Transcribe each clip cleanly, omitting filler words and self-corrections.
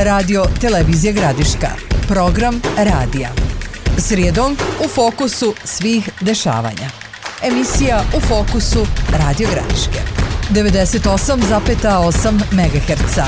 Radio Televizije Gradiška. Program radija. Srijedom u fokusu svih dešavanja. Emisija U fokusu Radio Gradiške. 98,8 MHz.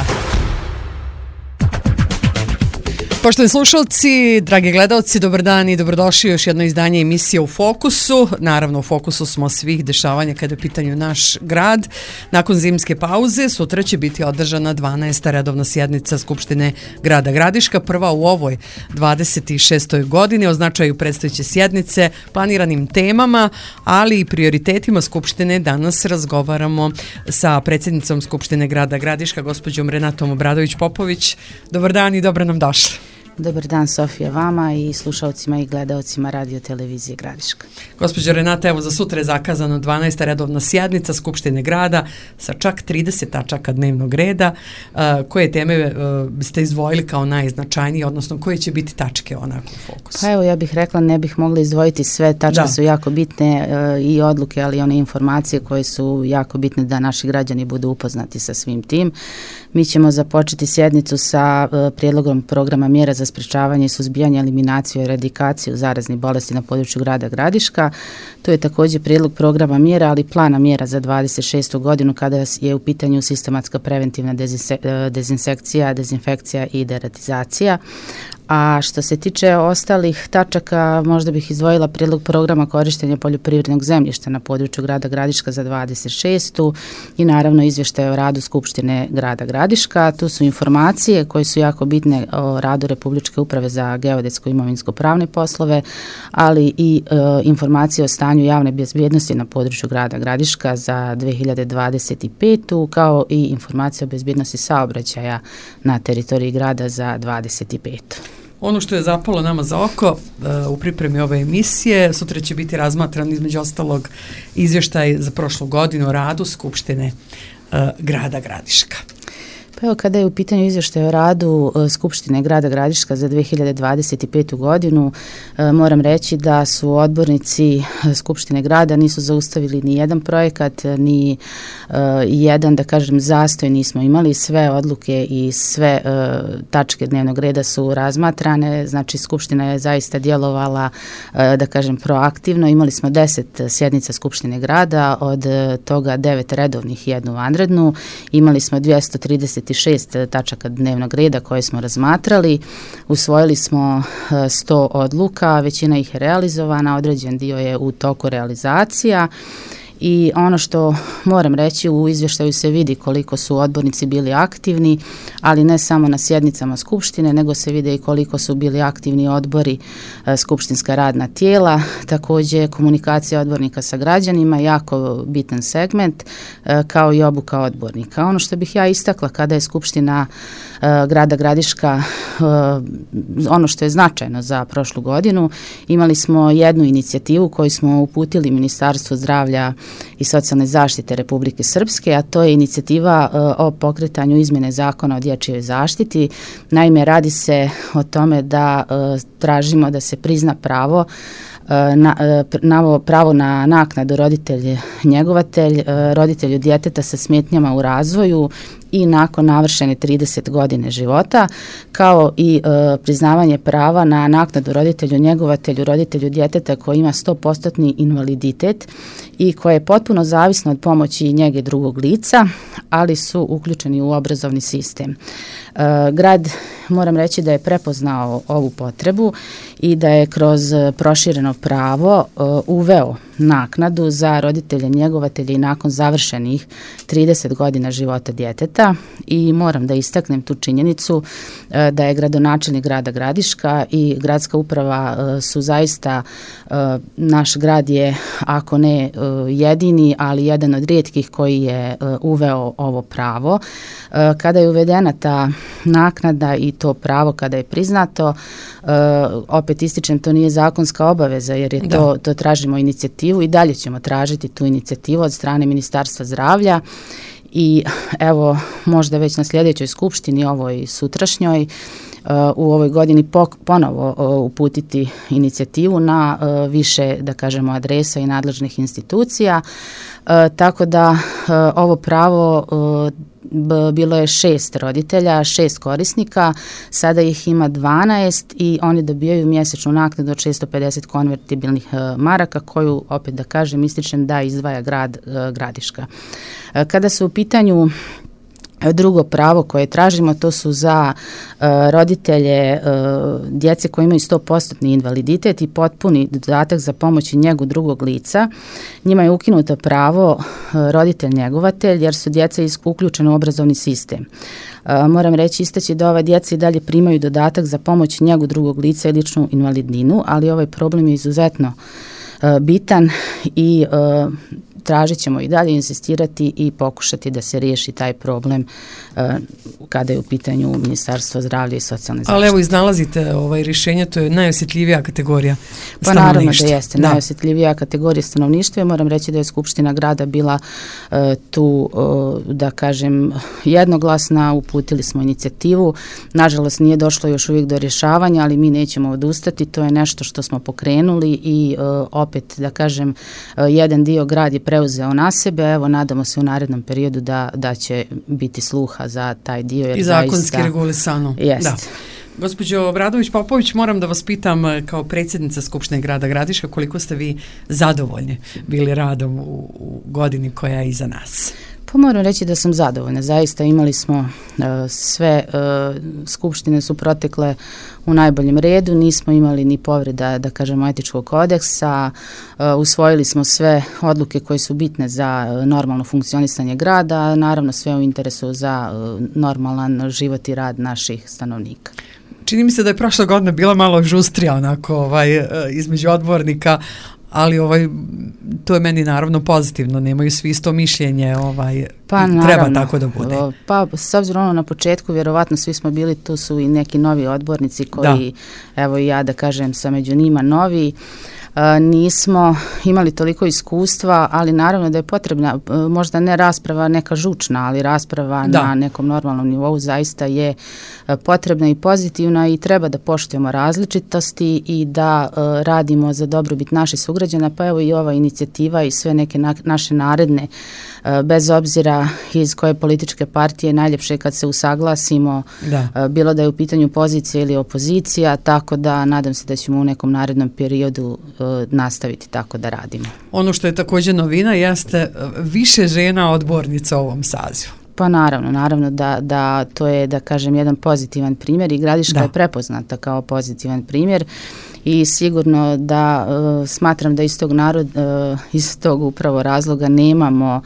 Poštovani slušalci, dragi gledalci, dobar dan i dobrodošli u još jedno izdanje emisije U fokusu. Naravno, u fokusu smo svih dešavanja kada je u pitanju naš grad. Nakon zimske pauze, sutra će biti održana 12. redovna sjednica Skupštine grada Gradiška, prva u ovoj 26. godini, o značaju predstojeće sjednice, planiranim temama, ali i prioritetima Skupštine. Danas razgovaramo sa predsjednicom Skupštine grada Gradiška, gospođom Renatom Obradović-Popović. Dobar dan i dobro nam došli. Dobar dan, Sofija, vama i slušalcima i gledaocima Radio Televizije Gradiška. Gospođo Renata, evo za sutra je zakazano 12. redovna sjednica Skupštine grada sa čak 30 tačaka dnevnog reda. Koje teme biste izdvojili kao najznačajnije, odnosno koje će biti tačke onako u fokusu? Pa evo, ja bih rekla, ne bih mogla izdvojiti sve, tačke su jako bitne i odluke, ali i one informacije koje su jako bitne da naši građani budu upoznati sa svim tim. Mi ćemo započeti sjednicu sa prijedlogom programa mjera za sprečavanje i suzbijanje, eliminaciju i eradikaciju zaraznih bolesti na području grada Gradiška. To je također prijedlog programa mjera, ali plana mjera za 26. godinu kada je u pitanju sistematska preventivna dezinsekcija, dezinfekcija i deratizacija. A što se tiče ostalih tačaka, možda bih izdvojila prijedlog programa korištenja poljoprivrednog zemljišta na području grada Gradiška za 26. i naravno izvještaj o radu Skupštine grada Gradiška. Tu su informacije koje su jako bitne o radu Republičke uprave za geodetsko i imovinsko-pravne poslove, ali i informacije o stanju javne bezbjednosti na području grada Gradiška za 2025. kao i informacije o bezbjednosti saobraćaja na teritoriji grada za 25. Ono što je zapalo nama za oko u pripremi ove emisije, sutra će biti razmatran između ostalog izvještaj za prošlu godinu o radu Skupštine grada Gradiška. Pa evo, kada je u pitanju izvještaj o radu Skupštine grada Gradiška za 2025. godinu, moram reći da su odbornici Skupštine grada nisu zaustavili ni jedan projekat, ni jedan, da kažem, zastoj nismo imali. Sve odluke i sve tačke dnevnog reda su razmatrane, znači Skupština je zaista djelovala, da kažem, proaktivno. Imali smo 10 sjednica Skupštine grada, od toga 9 redovnih i 1 vanrednu. Imali smo 236 tačaka dnevnog reda koje smo razmatrali. Usvojili smo 100 odluka, većina ih je realizovana, određen dio je u toku realizacija. I ono što moram reći, u izvještaju se vidi koliko su odbornici bili aktivni, ali ne samo na sjednicama Skupštine, nego se vide i koliko su bili aktivni odbori, skupštinska radna tijela. Također komunikacija odbornika sa građanima, jako bitan segment, kao i obuka odbornika. Ono što bih ja istakla kada je Skupština grada Gradiška, ono što je značajno za prošlu godinu, imali smo jednu inicijativu koju smo uputili Ministarstvu zdravlja i socijalne zaštite Republike Srpske, a to je inicijativa o pokretanju izmjene zakona o dječjoj zaštiti. Naime, radi se o tome da tražimo da se prizna pravo na naknadu roditelj njegovatelj, roditelju djeteta sa smetnjama u razvoju i nakon navršene 30 godine života, kao i priznavanje prava na naknadu roditelju njegovatelju, roditelju djeteta koji ima 100% invaliditet i koje je potpuno zavisno od pomoći i njege drugog lica, ali su uključeni u obrazovni sistem. Grad, moram reći da je prepoznao ovu potrebu i da je kroz prošireno pravo uveo naknadu za roditelje njegovatelje i nakon završenih 30 godina života djeteta. I moram da istaknem tu činjenicu da je gradonačelnik grada Gradiška i gradska uprava su zaista, naš grad je, ako ne jedini, ali jedan od rijetkih koji je uveo ovo pravo. Kada je uvedena ta naknada i to pravo kada je priznato, opet ističem, to nije zakonska obaveza jer je to tražimo inicijativu i dalje ćemo tražiti tu inicijativu od strane Ministarstva zdravlja. I evo, možda već na sljedećoj skupštini, ovoj sutrašnjoj, u ovoj godini ponovo uputiti inicijativu na više, da kažemo, adresa i nadležnih institucija, tako da ovo pravo bilo je 6 roditelja, 6 korisnika, sada ih ima 12 i oni dobijaju mjesečnu naknadu od 650 konvertibilnih maraka koju, opet da kažem, ističem da izdvaja grad Gradiška. Kada su u pitanju drugo pravo koje tražimo, to su za roditelje djece koji imaju 100% invaliditet i potpuni dodatak za pomoć i njegu drugog lica. Njima je ukinuto pravo roditelj njegovatelj jer su djeca uključena u obrazovni sistem. Moram reći, istaći da ova djeca i dalje primaju dodatak za pomoć i njegu drugog lica i ličnu invalidninu, ali ovaj problem je izuzetno bitan i tražit ćemo i dalje insistirati i pokušati da se riješi taj problem kada je u pitanju Ministarstvo zdravlja i socijalne zaštite. Ali evo, iznalazite rješenje, to je najosjetljivija kategorija stanovništva. Pa naravno da jeste, najosjetljivija kategorija stanovništva. Moram reći da je Skupština grada bila tu, da kažem, jednoglasna, uputili smo inicijativu. Nažalost nije došlo još uvijek do rješavanja, ali mi nećemo odustati, to je nešto što smo pokrenuli i opet, da kažem, jedan dio grad je preuzeo na sebe, evo nadamo se u narednom periodu da će biti sluha za taj dio. Jer i zakonski regulisano. Jest. Da. Gospođo Obradović-Popović, moram da vas pitam kao predsjednica Skupštine grada Gradiška koliko ste vi zadovoljni bili radom u godini koja je iza nas? Pa moram reći da sam zadovoljna. Zaista imali smo sve skupštine su protekle u najboljem redu, nismo imali ni povreda, da kažemo, etičkog kodeksa, usvojili smo sve odluke koje su bitne za normalno funkcionisanje grada, naravno sve u interesu za normalan život i rad naših stanovnika. Čini mi se da je prošla godina bila malo žustrija onako između odbornika, ali to je meni naravno pozitivno, nemaju svi isto mišljenje, pa, treba tako da bude. Pa s obzirom na početku, vjerovatno svi smo bili, tu su i neki novi odbornici koji, evo i ja da kažem, sam među njima novi. Nismo imali toliko iskustva, ali naravno da je potrebna, možda ne rasprava neka žučna, ali rasprava na nekom normalnom nivou zaista je potrebna i pozitivna i treba da poštujemo različitosti i da radimo za dobrobit naših sugrađana, pa evo i ova inicijativa i sve neke naše naredne, bez obzira iz koje političke partije, najljepše kad se usaglasimo, bilo da je u pitanju pozicija ili opozicija, tako da nadam se da ćemo u nekom narednom periodu nastaviti tako da radimo. Ono što je također novina jeste više žena odbornica u ovom sazivu. Pa naravno da to je, da kažem, jedan pozitivan primjer i Gradiška je prepoznata kao pozitivan primjer i sigurno da smatram da iz tog upravo razloga nemamo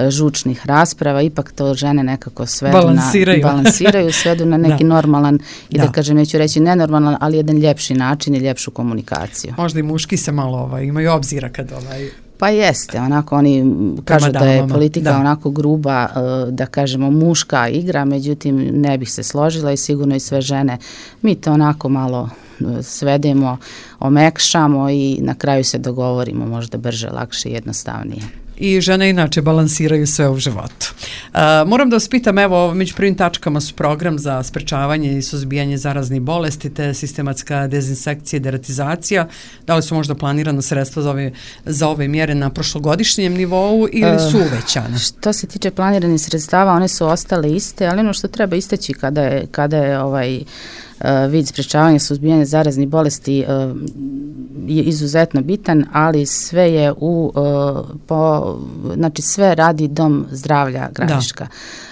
žučnih rasprava, ipak to žene nekako balansiraju, svedu na neki normalan i da kažem, neću reći nenormalan, ali jedan ljepši način i ljepšu komunikaciju. Možda i muški se malo imaju obzira kad Pa jeste, onako oni kažu da je politika onako gruba, da kažemo muška igra, međutim ne bih se složila i sigurno i sve žene. Mi to onako malo svedemo, omekšamo i na kraju se dogovorimo možda brže, lakše i jednostavnije. I žene inače balansiraju sve u životu. Moram da vas pitam, evo, među prvim tačkama su program za sprečavanje i suzbijanje zaraznih bolesti te sistematska dezinsekcija i deratizacija. Da li su možda planirana sredstva za ove mjere na prošlogodišnjem nivou ili su uvećane? Što se tiče planiranih sredstava, one su ostale iste, ali ono što treba istaći kada je vid sprečavanja suzbijanja zaraznih bolesti je izuzetno bitan, ali sve je znači sve radi Dom zdravlja Gradiška.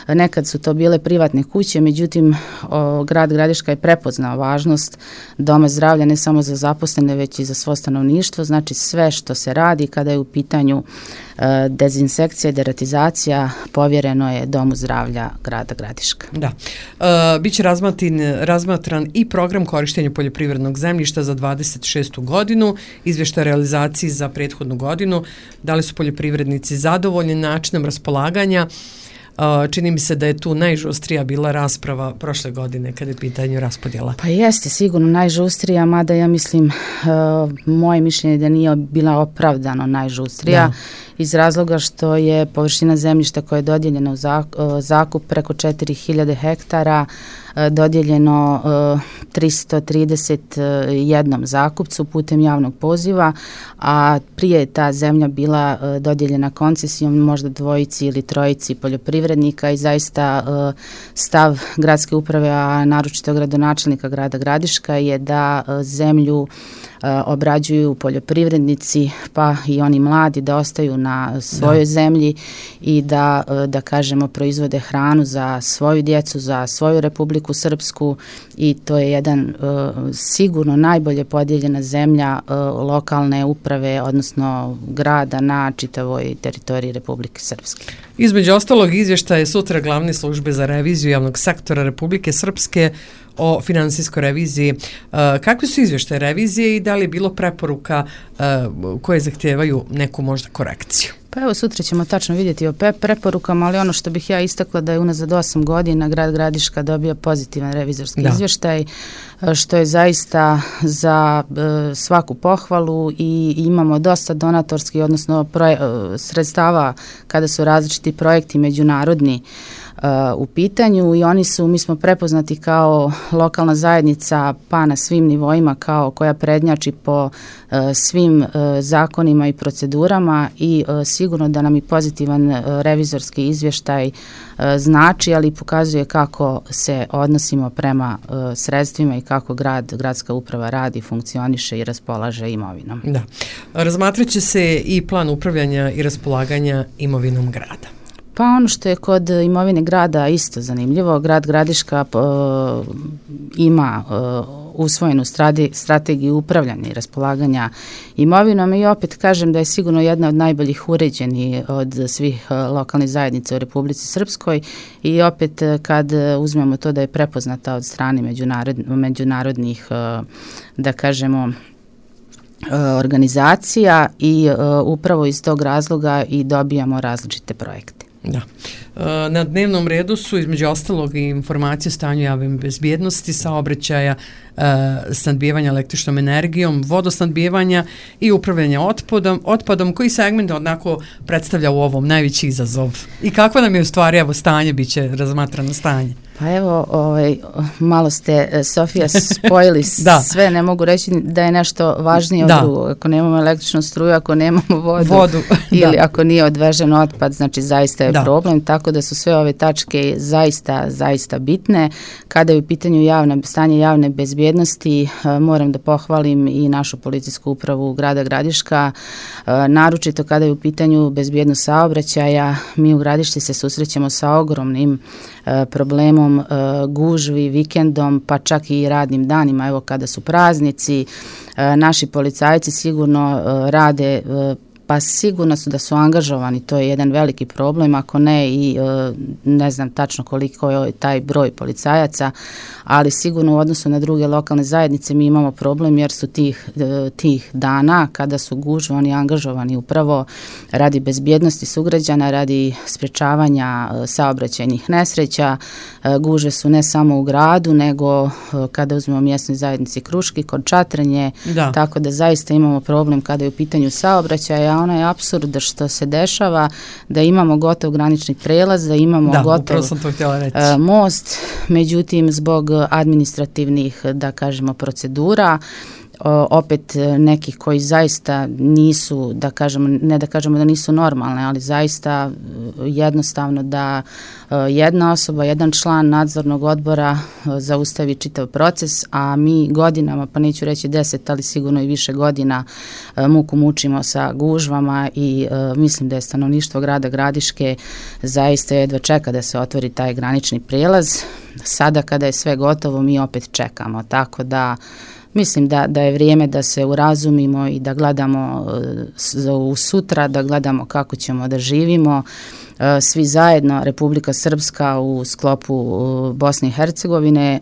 Nekad su to bile privatne kuće, međutim grad Gradiška je prepoznao važnost Doma zdravlja ne samo za zaposlene, već i za svo stanovništvo. Znači sve što se radi kada je u pitanju dezinsekcija i deratizacija povjereno je Domu zdravlja grada Gradiška. Da. Biće razmatran i program korištenja poljoprivrednog zemljišta za 26. godinu, izvještaj realizaciji za prethodnu godinu. Da li su poljoprivrednici zadovoljni načinom raspolaganja? Čini mi se da je tu najžustrija bila rasprava prošle godine kada je pitanje raspodjela. Pa jeste sigurno najžustrija, mada ja mislim, moje mišljenje da nije bila opravdano najžustrija iz razloga što je površina zemljišta koja je dodijeljena u zakup preko 4000 hektara dodijeljeno 331 zakupcu putem javnog poziva, a prije je ta zemlja bila dodijeljena koncesijom možda dvojici ili trojici poljoprivrednika i zaista stav gradske uprave, a naročito gradonačelnika grada Gradiška je da zemlju obrađuju poljoprivrednici, pa i oni mladi, da ostaju na svojoj zemlji i da kažemo proizvode hranu za svoju djecu, za svoju Republiku Srpsku, i to je jedan sigurno najbolje podijeljena zemlja lokalne uprave, odnosno grada na čitavoj teritoriji Republike Srpske. Između ostalog, izvještaj je sutra glavne službe za reviziju javnog sektora Republike Srpske o finansijskoj reviziji. Kakvi su izvještaje revizije i da li je bilo preporuka koje zahtijevaju neku možda korekciju? Pa evo, sutra ćemo tačno vidjeti o preporukama, ali ono što bih ja istakla da je unazad 8 godina grad Gradiška dobio pozitivan revizorski izvještaj, što je zaista za svaku pohvalu, i imamo dosta donatorskih, odnosno sredstava kada su različiti projekti međunarodni u pitanju, i mi smo prepoznati kao lokalna zajednica, pa na svim nivoima, kao koja prednjači po svim zakonima i procedurama, i sigurno da nam i pozitivan revizorski izvještaj znači, ali pokazuje kako se odnosimo prema sredstvima i kako gradska uprava radi, funkcioniše i raspolaže imovinom. Da. Razmatrat će se i plan upravljanja i raspolaganja imovinom grada. Pa ono što je kod imovine grada isto zanimljivo, grad Gradiška ima usvojenu strategiju upravljanja i raspolaganja imovinom, i opet kažem da je sigurno jedna od najboljih uređenih od svih lokalnih zajednica u Republici Srpskoj, i opet kad uzmemo to da je prepoznata od strane međunarodnih, da kažemo, organizacija, i upravo iz tog razloga i dobijamo različite projekte. Da. Na dnevnom redu su između ostalog i informacije o stanju javne bezbjednosti, saobraćaja, snadbijevanja električnom energijom, vodosnadbijevanja i upravljanja otpadom, koji segment onako predstavlja u ovom najveći izazov. I kakvo nam je u stvari stanje, bit će razmatrano stanje? Pa evo, malo ste, Sofija, spojili sve, ne mogu reći da je nešto važnije od drugog. Ako nemamo električnu struju, ako nemamo vodu ili ako nije odvežen otpad, znači zaista je problem, tako da su sve ove tačke zaista bitne. Kada je u pitanju stanje javne bezbjednosti, moram da pohvalim i našu policijsku upravu grada Gradiška, naročito kada je u pitanju bezbjednost saobraćaja. Mi u Gradišci se susrećemo sa ogromnim problemom gužvi, vikendom, pa čak i radnim danima. Evo, kada su praznici, naši policajci sigurno rade, pa sigurno su da su angažovani, to je jedan veliki problem, ako ne i ne znam tačno koliko je taj broj policajaca, ali sigurno u odnosu na druge lokalne zajednice mi imamo problem, jer su tih dana kada su gužve oni angažovani upravo radi bezbjednosti sugrađana, radi sprečavanja saobraćajnih nesreća. Gužve su ne samo u gradu, nego kada uzmemo mjesnoj zajednici Kruški, kod Čatrenje, tako da zaista imamo problem kada je u pitanju saobraćaja. Ono je apsurd što se dešava, da imamo gotov granični prelaz, da imamo gotov most, međutim zbog administrativnih, da kažemo, procedura, opet nekih koji zaista nisu, ne da kažemo da nisu normalne, ali zaista jednostavno da jedna osoba, jedan član nadzornog odbora zaustavi čitav proces, a mi godinama, pa neću reći 10, ali sigurno i više godina muku mučimo sa gužvama, i mislim da je stanovništvo grada Gradiške zaista jedva čeka da se otvori taj granični prijelaz. Sada kada je sve gotovo, mi opet čekamo, tako da mislim da je vrijeme da se urazumimo i da gledamo u sutra, da gledamo kako ćemo da živimo svi zajedno, Republika Srpska u sklopu Bosne i Hercegovine,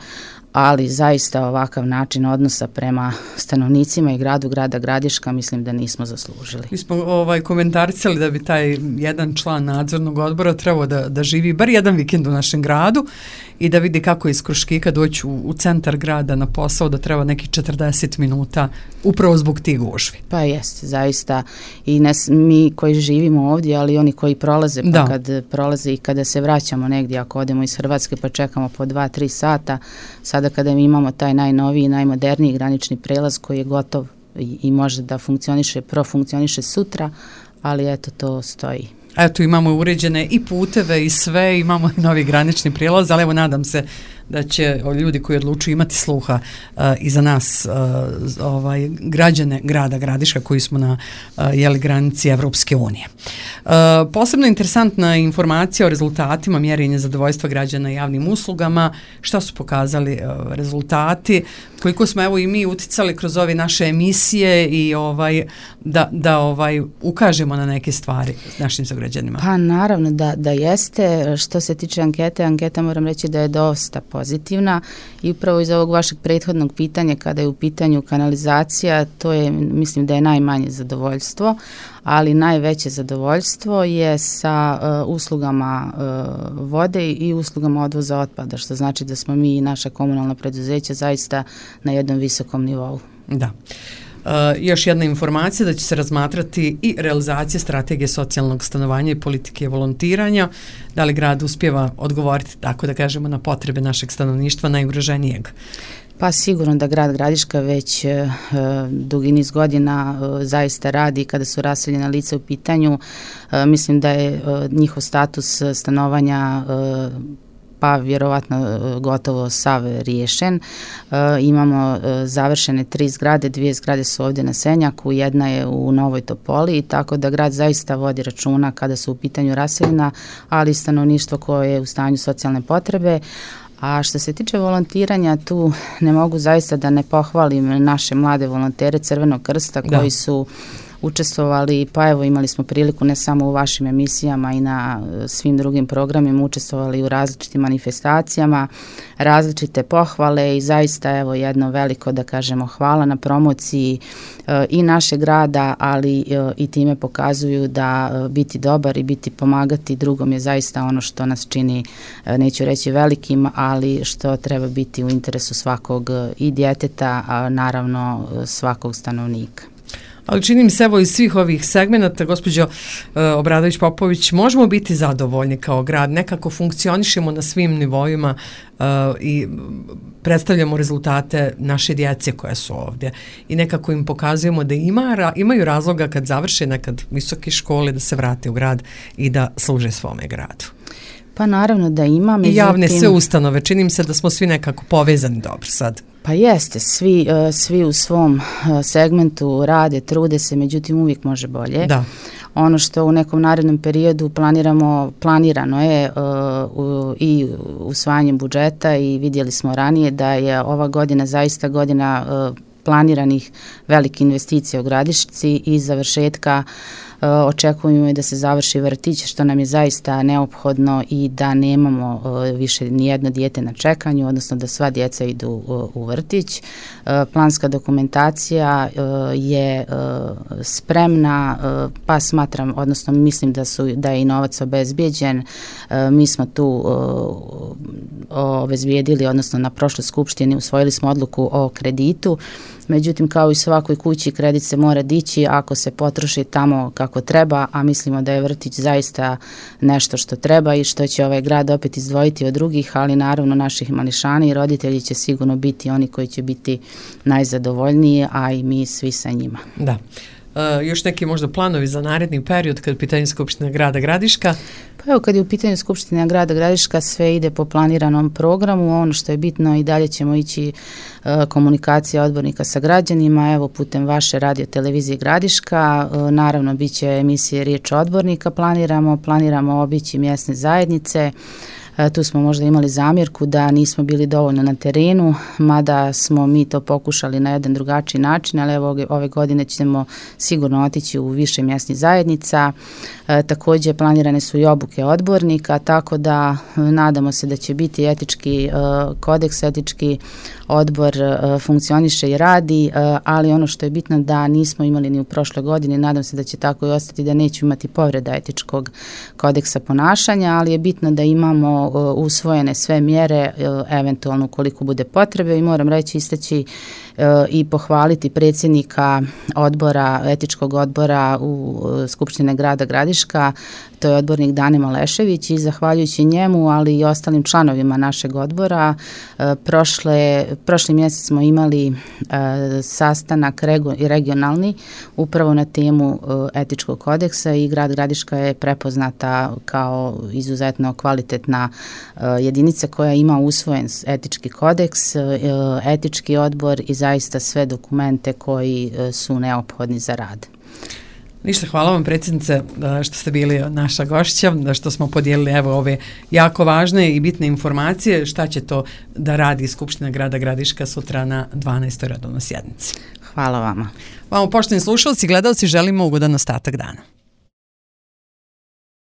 ali zaista ovakav način odnosa prema stanovnicima i grada Gradiška mislim da nismo zaslužili. Mi smo komentarisali da bi taj jedan član nadzornog odbora trebao da živi bar jedan vikend u našem gradu i da vidi kako iz Kruškika doći u centar grada na posao, da treba nekih 40 minuta upravo zbog tih gužvi. Pa jeste, zaista i mi koji živimo ovdje, ali oni koji prolaze, pa kad prolaze i kada se vraćamo negdje, ako odemo iz Hrvatske pa čekamo po 2-3 sata, sada kada mi imamo taj najnoviji, najmoderniji granični prelaz koji je gotov i može da profunkcioniše sutra, ali eto to stoji. Eto, imamo uređene i puteve i sve, imamo i novi granični prijelaz, ali evo nadam se da će ljudi koji odlučuju imati sluha i za nas građane grada Gradiška koji smo na granici Evropske unije. Posebno interesantna informacija o rezultatima mjerenja zadovoljstva građana javnim uslugama, šta su pokazali rezultati, koliko smo evo i mi uticali kroz ove naše emisije i da ukažemo na neke stvari našim sugrađanima. Pa naravno da jeste. Što se tiče anketa moram reći da je dosta pozitivna i upravo iz ovog vašeg prethodnog pitanja kada je u pitanju kanalizacija, to je, mislim da je najmanje zadovoljstvo, ali najveće zadovoljstvo je sa uslugama vode i uslugama odvoza otpada, što znači da smo mi i naša komunalna preduzeća zaista na jednom visokom nivou. Da. Još jedna informacija da će se razmatrati i realizacija strategije socijalnog stanovanja i politike volontiranja. Da li grad uspijeva odgovoriti, tako da kažemo, na potrebe našeg stanovništva najugroženijeg? Pa sigurno da grad Gradiška već dugi niz godina zaista radi kada su raseljena lica u pitanju. Mislim da je njihov status stanovanja pa vjerovatno gotovo sav riješen. Imamo završene 3 zgrade, 2 zgrade su ovdje na Senjaku, jedna je u Novoj Topoli, tako da grad zaista vodi računa kada su u pitanju raseljena, ali i stanovništvo koje je u stanju socijalne potrebe. A što se tiče volontiranja, tu ne mogu zaista da ne pohvalim naše mlade volontere Crvenog krsta koji su učestvovali, pa evo imali smo priliku ne samo u vašim emisijama i na svim drugim programima, učestvovali u različitim manifestacijama, različite pohvale i zaista evo jedno veliko, da kažemo, hvala na promociji i našeg grada, ali i time pokazuju da biti dobar i biti pomagati drugom je zaista ono što nas čini, neću reći velikim, ali što treba biti u interesu svakog i djeteta, a naravno svakog stanovnika. Ali čini mi se evo iz svih ovih segmenata, gospođo Obradović-Popović, možemo biti zadovoljni kao grad, nekako funkcionišemo na svim nivoima i predstavljamo rezultate naše djece koje su ovdje i nekako im pokazujemo da imaju razloga kad završe nekad visoke škole da se vrate u grad i da služe svome gradu. Pa naravno da ima. I javne sve ustanove, čini mi se da smo svi nekako povezani dobro sad. Pa jeste, svi u svom segmentu rade, trude se, međutim uvijek može bolje. Da. Ono što u nekom narednom periodu planirano je i usvajanjem budžeta i vidjeli smo ranije da je ova godina zaista godina planiranih velikih investicija u Gradišci i završetka očekujemo i da se završi vrtić, što nam je zaista neophodno i da nemamo više nijedno dijete na čekanju, odnosno da sva djeca idu u vrtić. Planska dokumentacija je spremna, pa smatram, odnosno mislim da je i novac obezbijeđen. Mi smo tu obezbijedili, odnosno na prošloj skupštini usvojili smo odluku o kreditu. Međutim, kao i svakoj kući, kredit se mora dići ako se potroši tamo kako treba, a mislimo da je vrtić zaista nešto što treba i što će ovaj grad opet izdvojiti od drugih, ali naravno naših mališana i roditelji će sigurno biti oni koji će biti najzadovoljniji, a i mi svi sa njima. Da. Još neki možda planovi za naredni period kad je pitanje Skupština grada Gradiška? Pa evo, kad je u pitanju Skupština grada Gradiška sve ide po planiranom programu, ono što je bitno i dalje ćemo ići komunikacija odbornika sa građanima, evo putem vaše radio televizije Gradiška, naravno bit će emisije Riječ odbornika, planiramo obići mjesne zajednice. Tu smo možda imali zamjerku da nismo bili dovoljno na terenu, mada smo mi to pokušali na jedan drugačiji način, ali evo ove godine ćemo sigurno otići u više mjesnih zajednica. Također planirane su i obuke odbornika, tako da nadamo se da će biti etički kodeks, etički odbor funkcioniše i radi, ali ono što je bitno da nismo imali ni u prošloj godini, nadam se da će tako i ostati, da neću imati povreda etičkog kodeksa ponašanja, ali je bitno da imamo usvojene sve mjere, eventualno koliko bude potrebe, i moram reći, istaći i pohvaliti predsjednika odbora, etičkog odbora u Skupštine grada Gradiška, to je odbornik Dane Malešević, i zahvaljujući njemu, ali i ostalim članovima našeg odbora, prošli mjesec smo imali sastanak regionalni upravo na temu etičkog kodeksa, i grad Gradiška je prepoznata kao izuzetno kvalitetna jedinica koja ima usvojen etički kodeks, etički odbor i zaista sve dokumente koji su neophodni za rad. Ništa, hvala vam predsjednice što ste bili naša gošća, što smo podijelili evo ove jako važne i bitne informacije. Šta će to da radi Skupština grada Gradiška sutra na 12. redovnoj sjednici? Hvala vama. Vama, poštovani slušalci i gledalci, želimo ugodan ostatak dana.